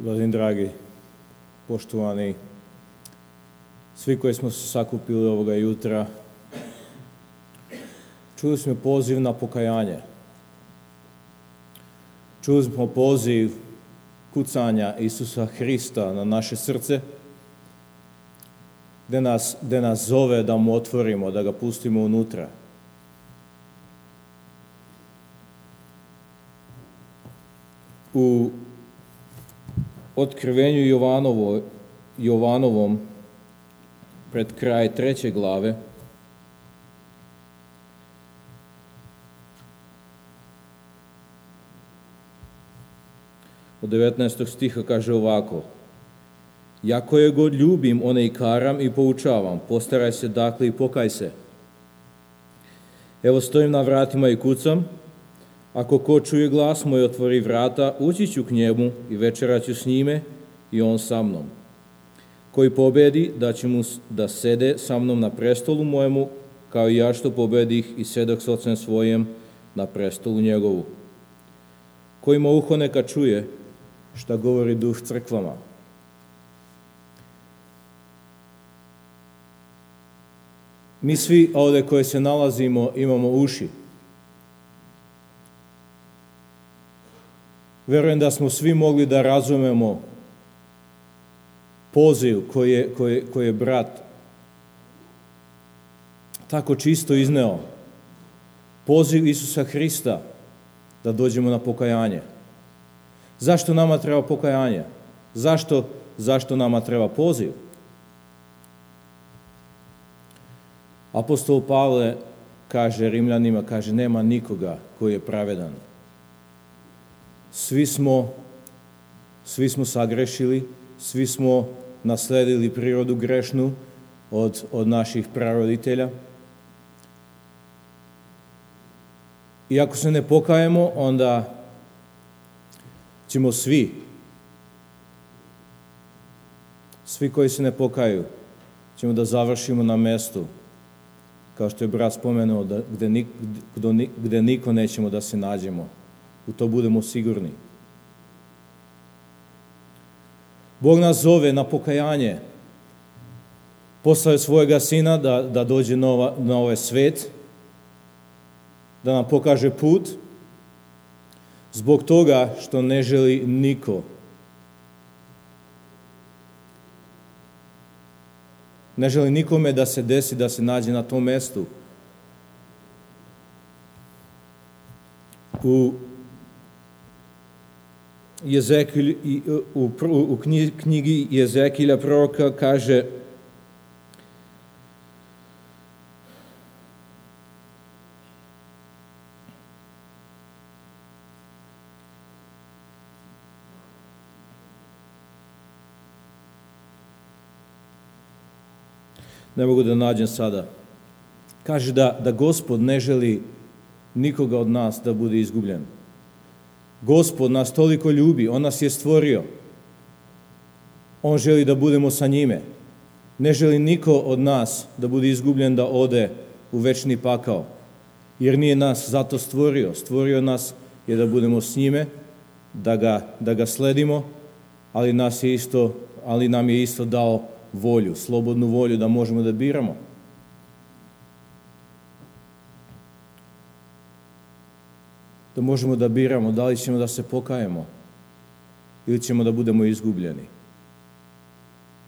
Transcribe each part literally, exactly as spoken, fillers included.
Gospodin dragi, poštovani, svi koji smo se sakupili ovoga jutra, čuli smo poziv na pokajanje. Čuli smo poziv kucanja Isusa Hrista na naše srce, gde nas, gde nas zove da mu otvorimo, da ga pustimo unutra. U Otkrivenju Jovanovo, Jovanovom, pred kraj treće glave, od devetnaestog stiha kaže ovako: Ja koje god ljubim, one i karam i poučavam, postaraj se dakle i pokaj se. Evo stojim na vratima i kucam, ako ko čuje glas moj, otvori vrata, ući ću k njemu i večerat ću s njime i on sa mnom. Koji pobedi, da će mu da sede sa mnom na prestolu mojemu, kao i ja što pobedih i sedah s ocem svojem na prestolu njegovu. Koji ima uho neka čuje šta govori Duh crkvama. Mi svi ovdje koji se nalazimo imamo uši. Verujem da smo svi mogli da razumemo poziv koji je, koji, koji je brat tako čisto izneo. Poziv Isusa Hrista da dođemo na pokajanje. Zašto nama treba pokajanje? Zašto, zašto nama treba poziv? Apostol Pavle kaže Rimljanima, kaže, nema nikoga koji je pravedan. Svi smo, svi smo sagrešili, svi smo nasledili prirodu grešnu od, od naših praroditelja. I ako se ne pokajemo, onda ćemo svi, svi koji se ne pokaju, ćemo da završimo na mestu, kao što je brat spomenuo, da, gde, gde, gde niko nećemo da se nađemo. U to budemo sigurni. Bog nas zove na pokajanje. Poslao je svojega sina da, da dođe na, ova, na ovaj svet, da nam pokaže put, zbog toga što ne želi niko. Ne želi nikome da se desi, da se nađe na tom mestu. U Jezekilj, u, u knjigi Jezekilja proroka kaže ne mogu da nađem sada. Kaže da, da Gospod ne želi nikoga od nas da bude izgubljen. Gospod nas toliko ljubi, on nas je stvorio. On želi da budemo sa njime. Ne želi niko od nas da bude izgubljen, da ode u večni pakao. Jer nije nas zato stvorio. Stvorio nas je da budemo s njime, da ga, da ga sledimo, ali, nas je isto, ali nam je isto dao volju, slobodnu volju da možemo da biramo. Da možemo da biramo da li ćemo da se pokajemo ili ćemo da budemo izgubljeni.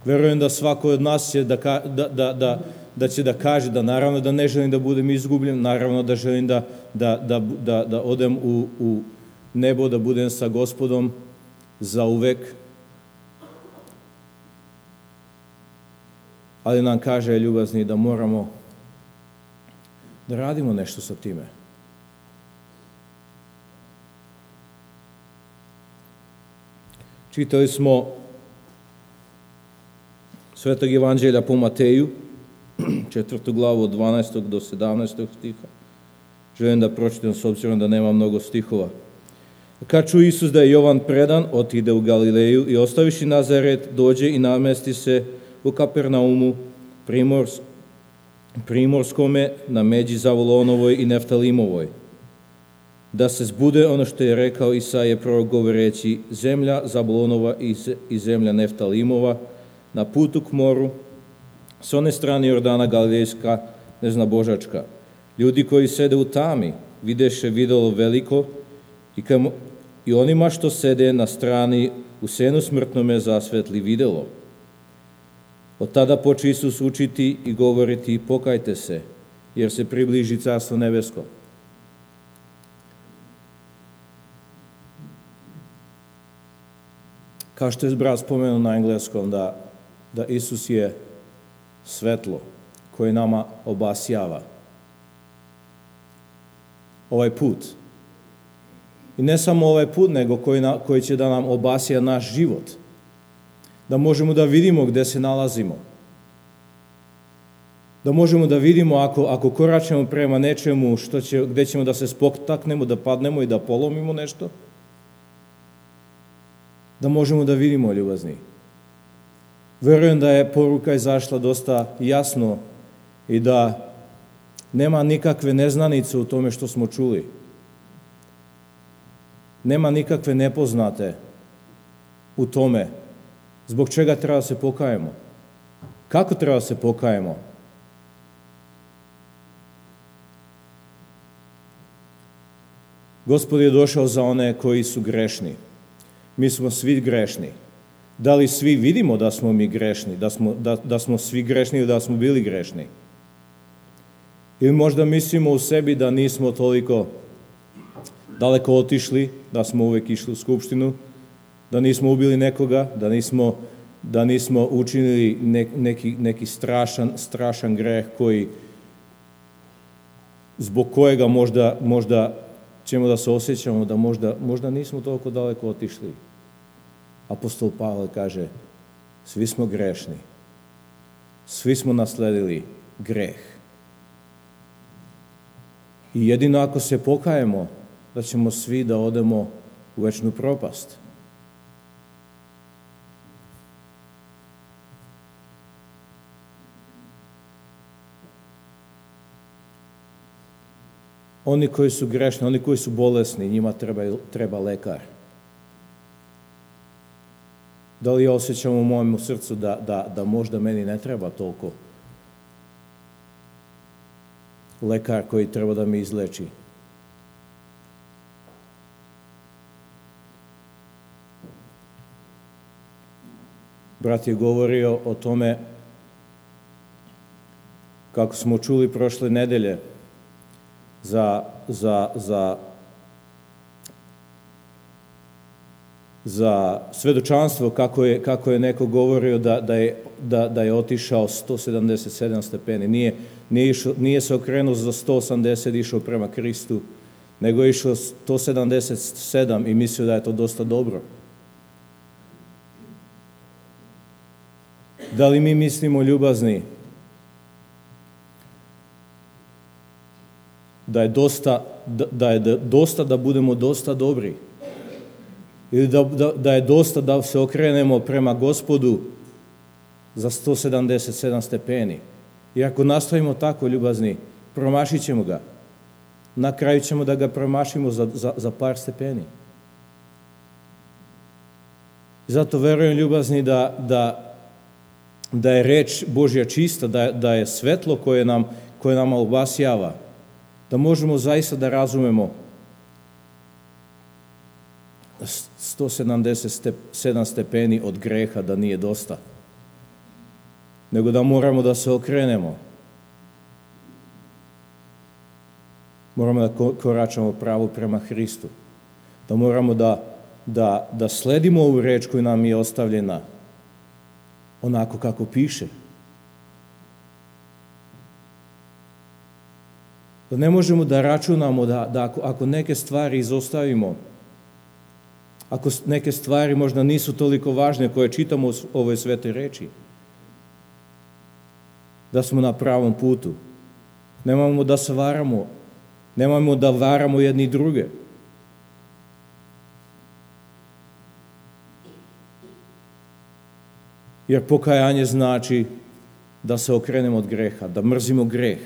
Verujem da svako od nas će da, da, da, da, da će da kaže da naravno da ne želim da budem izgubljen, naravno da želim da, da, da, da, da odem u, u nebo, da budem sa Gospodom za uvek. Ali nam kaže ljubazni da moramo da radimo nešto sa time. Čitali smo Svetog evanđelja po Mateju, četvrtu glavu od dvanaestog do sedamnaestog stiha. Želim da pročitam s obzirom da nema mnogo stihova. Kad ču Isus da je Jovan predan, otide u Galileju i ostaviši Nazaret, dođe i namesti se u Kapernaumu, primors, primorskome, na međi Zavulonovoj i Neftalimovoj. da se zbude ono što je rekao Isaija prorok govoreći: zemlja Zabulonova i zemlja Neftalimova na putu k moru, s one strane Jordana Galilejska, neznabožačka. Ljudi koji sede u tami videše videlo veliko i, kam, i onima što sede na strani u senu smrtnome zasvetli videlo. Od tada poče Isus učiti i govoriti: pokajte se, jer se približi carstvo nebesko. Kao što je brat spomenuo na engleskom, da, da Isus je svetlo koje nama obasjava ovaj put. I ne samo ovaj put, nego koji, na, koji će da nam obasja naš život. Da možemo da vidimo gde se nalazimo. Da možemo da vidimo ako, ako koračemo prema nečemu što će, gde ćemo da se spotaknemo, da padnemo i da polomimo nešto. Da možemo da vidimo, ljubazni. Verujem da je poruka izašla dosta jasno i da nema nikakve neznanice u tome što smo čuli. Nema nikakve nepoznate u tome zbog čega treba da se pokajemo. Kako treba da se pokajemo? Gospod je došao za one koji su grešni. Mi smo svi grešni. Da li svi vidimo da smo mi grešni, da smo, da, da smo svi grešni ili da smo bili grešni? Ili možda mislimo u sebi da nismo toliko daleko otišli, da smo uvek išli u skupštinu, da nismo ubili nekoga, da nismo, da nismo učinili ne, neki, neki strašan, strašan greh koji, zbog kojega možda, možda ćemo da se osjećamo da možda, možda nismo toliko daleko otišli. Apostol Pavle kaže: svi smo grešni, svi smo nasledili greh. I jedino ako se pokajemo, da ćemo svi da odemo u večnu propast. Oni koji su grešni, oni koji su bolesni, njima treba, treba lekar. Da li ja osjećam u mojem srcu da, da, da možda meni ne treba toliko lekar koji treba da me izleči? Brat je govorio o tome kako smo čuli prošle nedelje za, za, za, za svedočanstvo, kako je, kako je neko govorio da, da, je, da, da je otišao sto sedamdeset sedam stepeni. Nije, nije, išao, nije se okrenuo za sto osamdeset, išao prema Kristu, nego je išao sto sedamdeset sedam i mislio da je to dosta dobro. Da li mi mislimo, ljubazni, da je dosta da, da je dosta da budemo dosta dobri? Ili da, da, da je dosta da se okrenemo prema Gospodu za sto sedamdeset sedam stepeni? I ako nastavimo tako, ljubazni, promašit ćemo ga. Na kraju ćemo da ga promašimo za, za, za par stepeni. Zato verujem, ljubazni, da, da da je reč Božja čista, da je, da je svetlo koje nam, koje nam obasjava, da možemo zaista da razumemo da sto sedamdeset sedam stepeni od greha da nije dosta, nego da moramo da se okrenemo. Moramo da koračamo pravo prema Hristu, da moramo da, da, da sledimo ovu reč koju nam je ostavljena onako kako piše. Da ne možemo da računamo da, da ako, ako neke stvari izostavimo, ako neke stvari možda nisu toliko važne koje čitamo u ovoj svetoj reči, da smo na pravom putu. Nemojmo da se varamo, nemojmo da varamo jedni druge. Jer pokajanje znači da se okrenemo od greha, da mrzimo greh,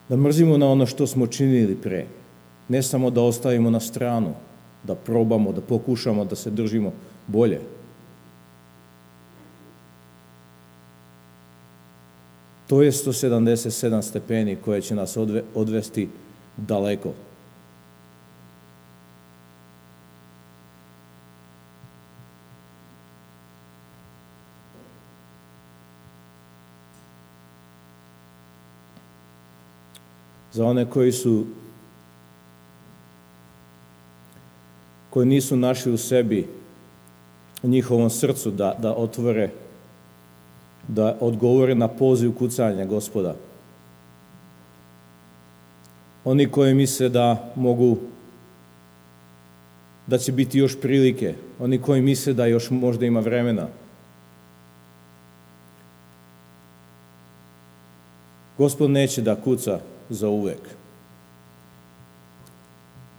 da mrzimo na ono što smo činili pre. Ne samo da ostavimo na stranu, da probamo, da pokušamo da se držimo bolje. To je sto sedamdeset sedam stepeni koje će nas odve, odvesti daleko. Za one koji su koji nisu našli u sebi, u njihovom srcu da, da otvore, da odgovore na poziv kucanja Gospoda. Oni koji misle da mogu, da će biti još prilike, oni koji misle da još možda ima vremena. Gospod neće da kuca za uvek.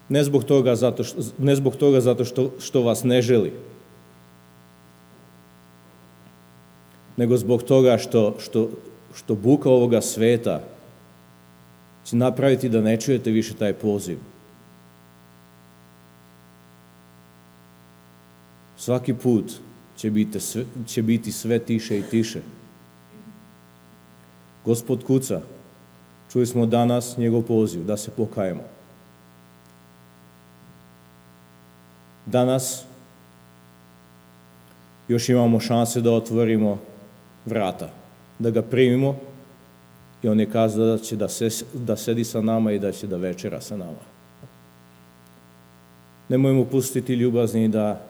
Ne zbog toga zato što, ne zbog toga zato što, što vas ne želi, nego zbog toga što, što, što buka ovoga sveta će napraviti da ne čujete više taj poziv. Svaki put će biti sve, će biti sve tiše i tiše. Gospod kuca. Čuli smo danas njegov poziv da se pokajemo. Danas još imamo šanse da otvorimo vrata, da ga primimo i on je kazao da će da, se, da sedi sa nama i da će da večera sa nama. Nemojmo pustiti ljubazni da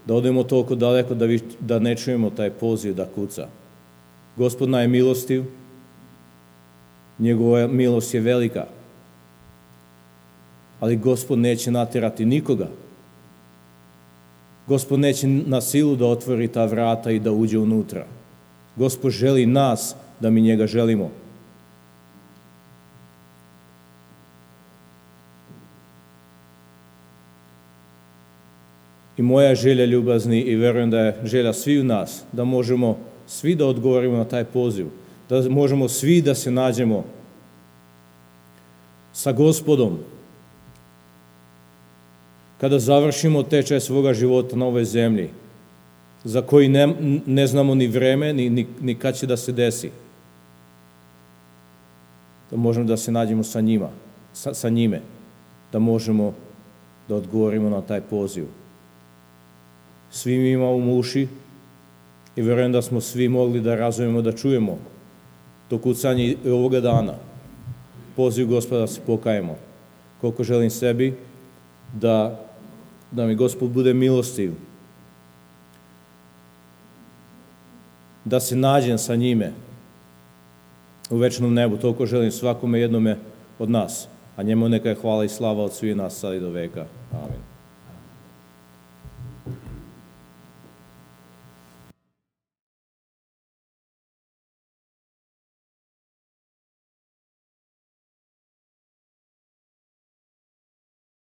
da odemo toliko daleko da, vi, da ne čujemo taj poziv da kuca. Gospod nam je milostiv, njegova milost je velika, ali Gospod neće natjerati nikoga. Gospod neće na silu da otvori ta vrata i da uđe unutra. Gospod želi nas da mi njega želimo. I moja želja ljubazni i verujem da je želja svi u nas, da možemo svi da odgovorimo na taj poziv, da možemo svi da se nađemo sa Gospodom. Kada završimo tečaj svoga života na ovoj zemlji, za koji ne, ne znamo ni vreme, ni, ni, ni kad će da se desi, da možemo da se nađemo sa njima, sa, sa njime, da možemo da odgovorimo na taj poziv. Svi mi imamo uši i verujem da smo svi mogli da razumemo, da čujemo to kucanje ovoga dana. Poziv Gospoda da se pokajemo. Koliko želim sebi da, da mi Gospod bude milostiv, da se nađem sa njime u večnom nebu. Toliko želim svakome jednome od nas, a njemu neka je hvala i slava od svih nas sad i do veka. Amin.